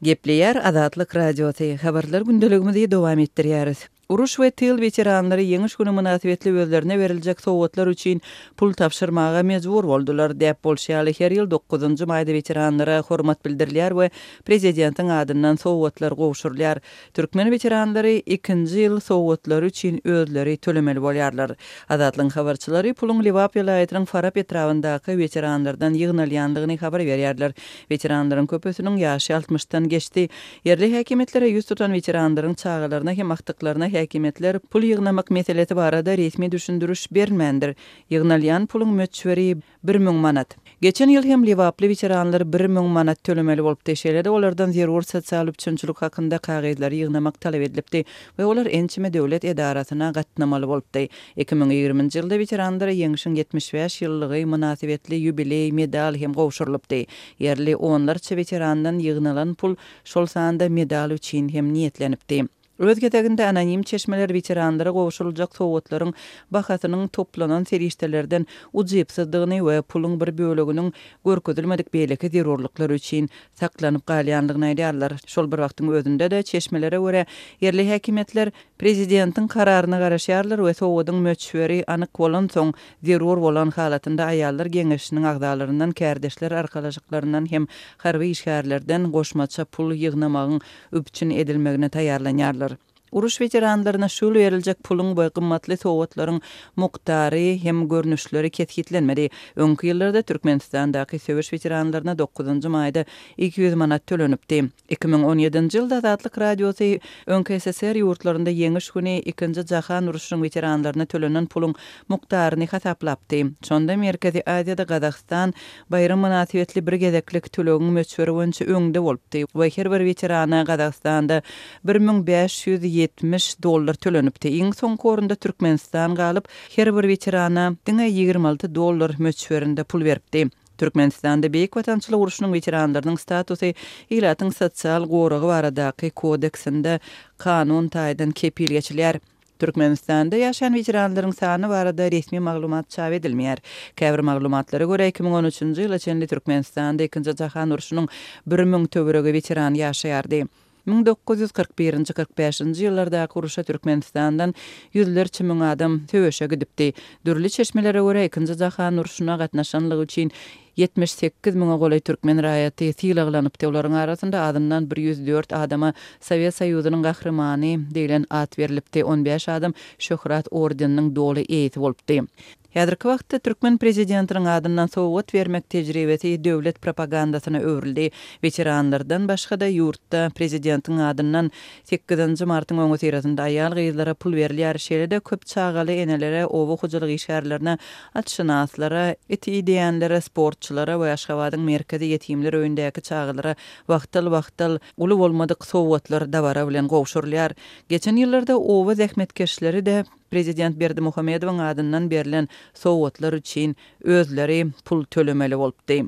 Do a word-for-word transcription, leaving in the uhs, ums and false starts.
Gepleýär Azatlyk Radiosy, Habarlar gündeligimizi dowam etdirýäris. Uruş we tyl weteranlary Ýeňiş güni mynasybetli özlerine beriljek sowgatlar üçin pul tabşyrmaga mejbur boldular. Däp bolşy ýaly, her ýyl dokuzynjy maýda weteranlara hormat bildirilýär we prezidentiň adyndan sowgatlar gowşurylýar. Türkmen weteranlary ikinji ýyl sowgatlary üçin özleri tölemeli bolýarlar. Azatlygyň habarçylary puluň Lebap welaýatynyň Farap etrabyndaky weteranlardan ýygnalýandygyny habar berýärler. Weteranlaryň köpüsiniň ýaşy altmyşdan geçdi. Ýerli häkimiýetlere ýüz tutan weteranlaryň çagalaryna hem agtyklaryna häkimiýetler pul ýygnamak meselesi barada resmi düşündiriş bermändir. Ýygnalýan puluň möçberi bir müň manat. Geçen ýyl hem lebaply weteranlar bir müň manat tölemeli bolupdy. Şeýle-de olardan zerur sosial üpjünçilik hakynda kagyzlary ýygnamak talap edilipdi we olar ençeme döwlet edarasyna gatnamaly bolupdy. Iki müň ýigriminji ýylda weteranlara Ýeňşiň ýetmiş bäş ýyllygy mynasybetli ýubileý medal hem gowşurylypdy. Ýerli onlarça weterandan ýygnalan pul şol sanda medal üçin hem niýetlenipdi. Öz gezeginde anonim çeşmeler weteranlara gowşuryljak sowgatlaryň bahasynyň toplanan serişdelerden ujypsyzdygyny we puluň bir böleginiň görkezilmedik beýleki zerurlyklar üçin saklanyp galýandygyny aýdýarlar. Şol bir wagtyň özünde-de çeşmelere görä, ýerli häkimiýetler prezidentiň kararyna garaşýarlar we sowgadyň möçberi anyk bolansoň, zerur bolan halatynda aýallar geňeşiniň agzalaryndan, kärdeşler arkalaşyklaryndan hem harby işgärlerden goşmaça pul ýygnamagyň üpjün edilmegine taýýarlanýarlar. Uruş weteranlaryna şu ýyl beriljek puluň we gymmatly sowgatlaryň mukdary hem görnüşleri kesgitlenmedi. Öňki ýyllarda Türkmenistandaky söweş weteranlaryna dokuzynjy maýda iki ýüz manat tölenipdi. Iki müň on ýedinji ýylda Azatlyk Radiosy öňki S S R ýurtlarynda Ýeňiş güni ikinji jahan urşunyň weteranlaryna tölenen puluň mukdaryny hasaplapdy. Şonda Merkezi Aziýada Gazagystan baýram mynasybetli bir gezeklik tölegiň möçberi boýunça öňde bolupdy we her bir weterana Gazagystanda bir müň bäş ýüz ýetmiş dollar tölenipdi. Iň soňky orunda Türkmenistan galyp, her bir weterana diňe ýigrimi alty dollar möçberinde pul beripdi. Türkmenistanda Beýik Watançylyk urşunyň weteranlarynyň statusy ilatyň sosial goragy baradaky kodeksinde kanun taýdan kepil geçilýär. Türkmenistanda ýaşaýan weteranlaryň sany barada resmi maglumat çap edilmeýär. Käbir maglumatlara görä iki müň on üçünji ýyla çenli Türkmenistanda ikinji jahan urşunyň bir müň töweregi weteran ýaşaýardy. Müň dokuz ýüz kyrk birinji, kyrk bäşinji ýyllardaky urşa Türkmenistandan ýüzlerçe müň adam söweşe gidipdi. Dürli çeşmelere görä ikinji jahan urşuna gatnaşanlygy üçin ýetmiş sekiz müňe golaý türkmen raýaty sylaglanypdy. Olaryň arasynda azyndan bir ýüz dört adama Sowet Soýuzynyň gahrymany diýlen at berilipdi. On bäş adam Şöhrat ordeniniň doly eýesi bolupdy. Häzirki wagtda türkmen prezidentiniň adyndan sowgat bermek tejribesi döwlet propagandasyna öwrüldi. Weteranlardan başga-da ýurtda prezidentiň adyndan sekizinji martyň öňüsyrasynda aýal-gyzlara pul berilýär. Şeýle-de köp çagaly enelere, oba hojalyk işgärlerine, atşynaslara, it ideýänlere, sportçulara we Aşgabadyň merkezi ýetimler öýündäki çagalara wagtal-wagtal uly bolmadyk sowgatlar dabara bilen gowşurylýar. Geçen ýyllarda oba zähmetkeşleri-de Prezident Berdimuhamedowyň adyndan berlen sowgatlar üçin özleri pul tölemeli bolupdy.